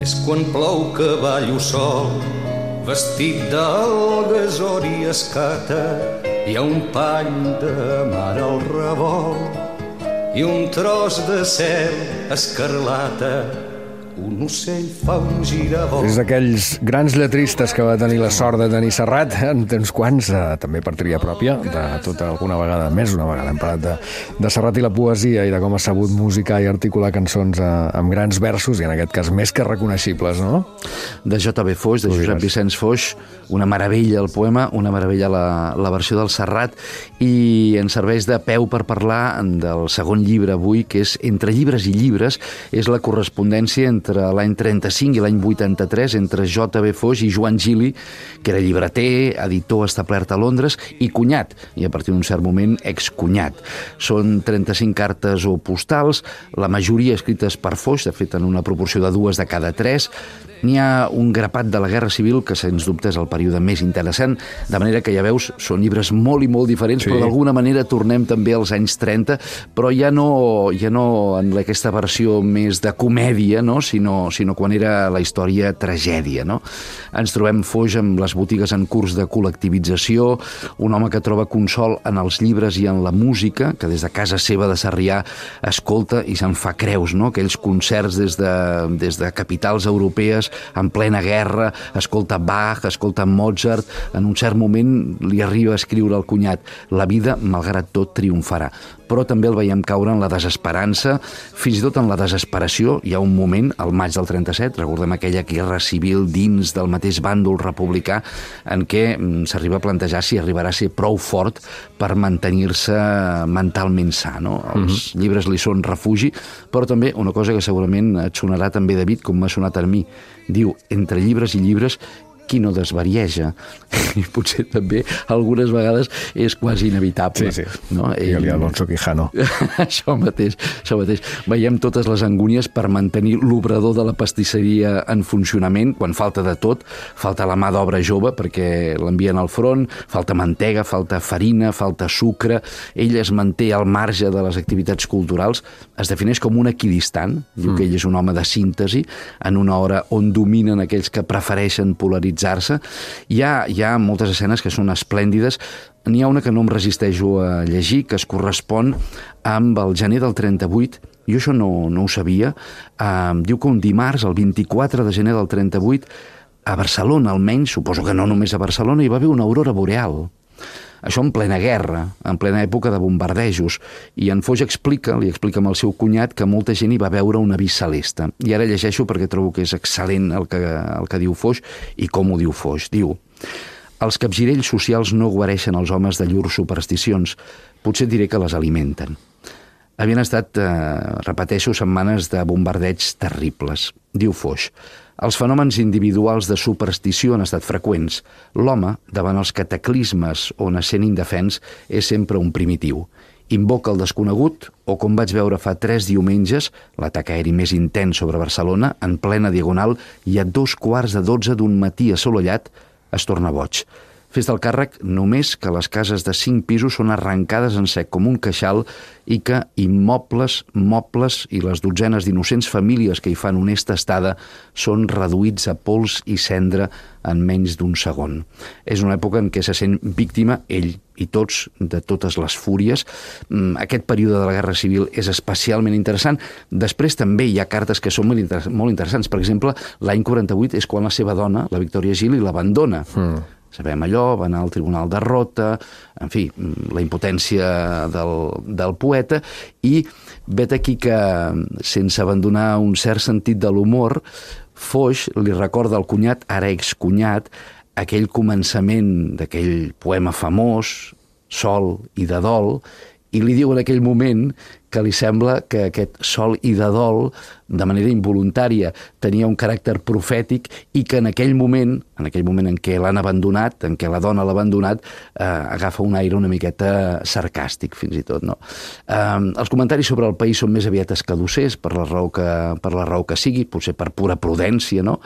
És quan plou que ballo sol, vestit d'algues or i escata. Hi ha un pany de mar al revolt i un tros de cel escarlata. Un ocell fa un giravolt. És d'aquells grans lletristes que va tenir la sort de tenir Serrat, en temps quants, també per tria pròpia, de tota alguna vegada, més una vegada, hem parlat de Serrat i la poesia i de com ha sabut musicar i articular cançons amb grans versos, i en aquest cas més que reconeixibles, no? De J.B. Foix, de Josep Vicenç Foix, una meravella el poema, una meravella la versió del Serrat, i ens serveix de peu per parlar del segon llibre avui, que és Entre llibres i llibres, és la correspondència entre l'any 35 i l'any 83 entre J.B. Foix i Joan Gili, que era llibreter, editor establert a Londres i cunyat, i a partir d'un cert moment excunyat. Són 35 cartes o postals, la majoria escrites per Foix, de fet en una proporció de 2 de cada 3. N'hi ha un grapat de la Guerra Civil, que sens dubte és el període més interessant, de manera que ja veus, són llibres molt i molt diferents, sí, però d'alguna manera tornem també als anys 30, però ja no en aquesta versió més de comèdia, no? sinó quan era la història tragèdia. No? Ens trobem Foix amb les botigues en curs de col·lectivització, un home que troba consol en els llibres i en la música, que des de casa seva de Sarrià escolta i se'n fa creus, no? Aquells concerts des de capitals europees en plena guerra, escolta Bach, escolta Mozart. En un cert moment li arriba a escriure al cunyat: la vida, malgrat tot, triomfarà. Però també el veiem caure en la desesperança, fins i tot en la desesperació. Hi ha un moment, al maig del 37, recordem aquella guerra civil dins del mateix bàndol republicà, en què s'arriba a plantejar si arribarà a ser prou fort per mantenir-se mentalment sa. No? Els llibres li són refugi, però també una cosa que segurament et sonarà també, David, com m'ha sonat a mi. Diu, entre llibres i llibres, qui no desvarieja? I potser també algunes vegades és quasi inevitable. Sí, sí. No? I Alonso Quijano. Això mateix. Veiem totes les angúnies per mantenir l'obrador de la pastisseria en funcionament, quan falta de tot. Falta la mà d'obra jove perquè l'envien al front, falta mantega, falta farina, falta sucre. Ell es manté al marge de les activitats culturals, es defineix com un equidistant, diu que ell és un home de síntesi, en una hora on dominen aquells que prefereixen polaritzar. Hi ha moltes escenes que són esplèndides. N'hi ha una que no em resisteixo a llegir, que es correspon amb el gener del 38. Jo això no ho sabia. Diu que un dimarts, el 24 de gener del 38, a Barcelona almenys, suposo que no només a Barcelona, hi va haver una aurora boreal. Això en plena guerra, en plena època de bombardejos. I en Foix li explica amb el seu cunyat que molta gent hi va veure un avís celeste. I ara llegeixo perquè trobo que és excel·lent el que diu Foix i com ho diu Foix. Diu: els capgirells socials no guareixen els homes de llurs supersticions, potser diré que les alimenten. Havien estat, repeteixo, setmanes de bombardeigs terribles. Diu Foix: els fenòmens individuals de superstició han estat freqüents. L'home, davant els cataclismes on essent indefens, és sempre un primitiu. Invoca el desconegut, o com vaig veure fa 3 diumenges, l'atac aeri més intens sobre Barcelona, en plena diagonal, i a 11:15 d'un matí assolellat, es torna boig. Fes del càrrec només que les cases de 5 pisos són arrencades en sec com un queixal i que immobles, mobles i les dotzenes d'innocents famílies que hi fan honesta estada són reduïts a pols i cendra en menys d'un segon. És una època en què se sent víctima, ell i tots, de totes les fúries. Aquest període de la Guerra Civil és especialment interessant. Després també hi ha cartes que són molt interessants. Per exemple, l'any 48 és quan la seva dona, la Victòria Gili, l'abandona. Sabem allò, va anar al Tribunal de Rota, en fi, la impotència del poeta, i vet aquí que, sense abandonar un cert sentit de l'humor, Foix li recorda al cunyat, ara excunyat, aquell començament d'aquell poema famós, Sol i de dol, i li diu en aquell moment que li sembla que aquest sol i de dol, de manera involuntària, tenia un caràcter profètic i que en aquell moment en què l'han abandonat, en què la dona l'ha abandonat, agafa un aire una miqueta sarcàstic, fins i tot. No? Els comentaris sobre el país són més aviat escadussers, per la raó que sigui, potser per pura prudència, no?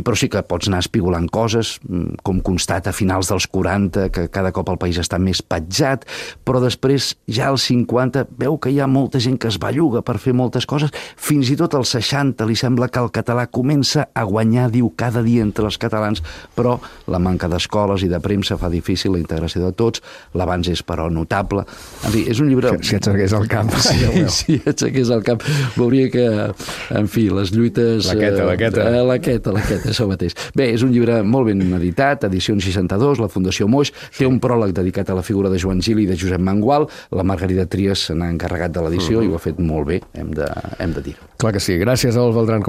Però sí que pots anar espigolant coses, com constata a finals dels 40, que cada cop el país està més petjat, però després ja als 50 veu que hi ha molta gent que es belluga per fer moltes coses, fins i tot als 60 li sembla que el català comença a guanyar, diu, cada dia entre els catalans, però la manca d'escoles i de premsa fa difícil la integració de tots, l'avanç és però notable. En fi, és un llibre... Si aixequés el camp. Si aixequés el camp, veuria que, en fi, les lluites... La queta, això mateix. Bé, és un llibre molt ben editat, edició 62, la Fundació Moix, té un pròleg dedicat a la figura de Joan Gili i de Josep Mangual, la Margarida Trias se n'ha encarregat de l'edició i ho ha fet molt bé, hem de dir. Clar que sí. Gràcies, Adolf Beltrán.